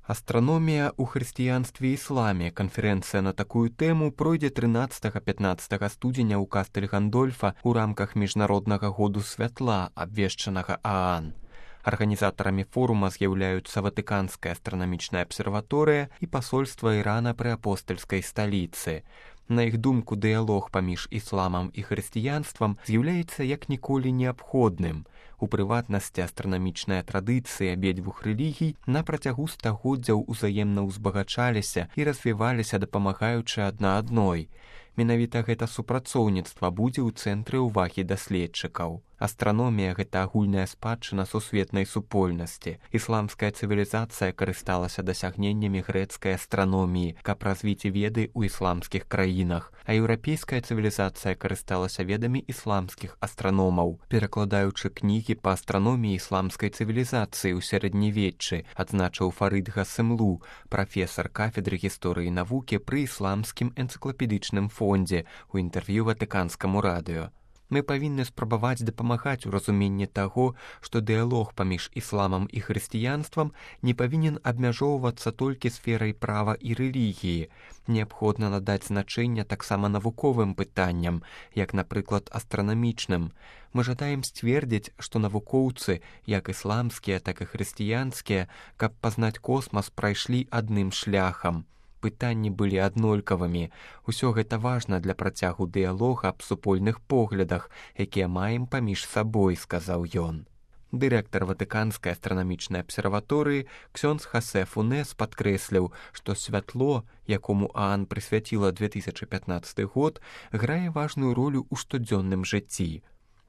Астраномія ў хрысціянстве і ісламе. Канферэнцыя на такую тэму пройдзе 13-15 студзеня ў кастэль Гандольфа ў рамках міжнароднага году святла, абвешчанага ААН. Арганізатарамі форума з'яўляюцца Ватыканская астранамічная абсерваторыя і пасольства Ірана пры апостальскай сталіцы. На іх думку, дыялог паміж ісламам і хрысціянствам з'яўляецца як ніколі неабходным. У прыватнасці, астранамічныя традыцыі абедзвюх рэлігій на працягу стагоддзяў узаемна ўзбагачаліся і развіваліся, дапамагаючы адна адной. Менавіта гэта супрацоўніцтва будзе ў цэнтры ўвагі даследчыкаў. Астраномія – гэта агульная спадчына сусветнай супольнасці. Ісламская цывілізацыя карысталася дасягненнямі грэцкай астраноміі, каб развіць веды ў ісламскіх краінах, а еўрапейская цывілізацыя карысталася ведамі ісламскіх астраномаў, перакладаючы кнігі па астраноміі ісламскай цывілізацыі ў сярэднявеччы, адзначыў Фарыд Гасемлу, прафесар кафедры гісторыі навукі пры ісламскім энцыклапедычным фондзе у інтэрв'ю Ватыканскаму радыё. Мы павінны спрабаваць дапамагаць у разуменні таго, што дыялог паміж ісламам і хрысціянствам не павінен абмяжоўвацца толькі сферай права і рэлігіі. Неабходна надаць значэнне таксама навуковым пытанням, як, напрыклад, астранамічным. Мы жадаем сцвердзіць, што навукоўцы, як ісламскія, так і хрысціянскія, каб пазнаць космас, прайшлі адным шляхам. Пытанні былі аднолькавымі. Усё гэта важна для працягу дыялога аб супольных поглядах, якія маем паміж сабой, сказаў ён. Дырэктар Ватыканскай астранамічнай абсерваторыі ксёндз Хасе Фунес падкрэсліў, што святло, якому ААН прысвяціла 2015 год, грае важную ролю ў штодзённым жыцці.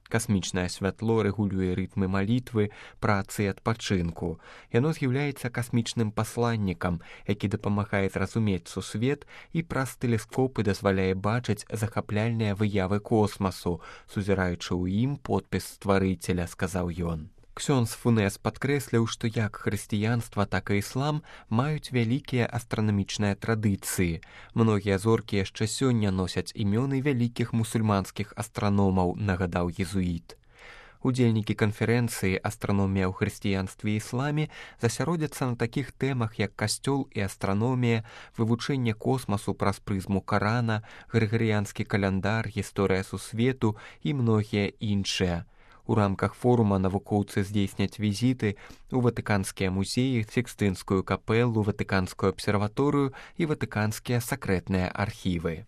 Касмічнае святло рэгулюе рытмы малітвы, працы і адпачынку. Яно з'яўляецца касмічным пасланнікам, які дапамагае зразумець сусвет і праз тэлескопы дазваляе бачыць захапляльныя выявы космасу, сузіраючы ў ім подпіс стварыцеля, сказаў ён. Ксёндз Фунес падкрэсліў, што як хрысціянства, так і іслам маюць вялікія астранамічныя традыцыі. Многія зоркі яшчэ сёння носяць імёны вялікіх мусульманскіх астраномаў, нагадаў езуіт. Удзельнікі канферэнцыі «Астраномія ў хрысціянстве і ісламе» засяродзяцца на такіх тэмах, як касцёл і астраномія, вывучэнне космасу праз прызму Карана, грыгарыянскі каляндар, гісторыя сусвету і многія іншыя. У рамках форума навукоўцы здзейсняць візіты ў ватыканскія музеі, Сікстынскую капэлу, Ватыканскую абсерваторыю і ватыканскія сакрэтныя архівы.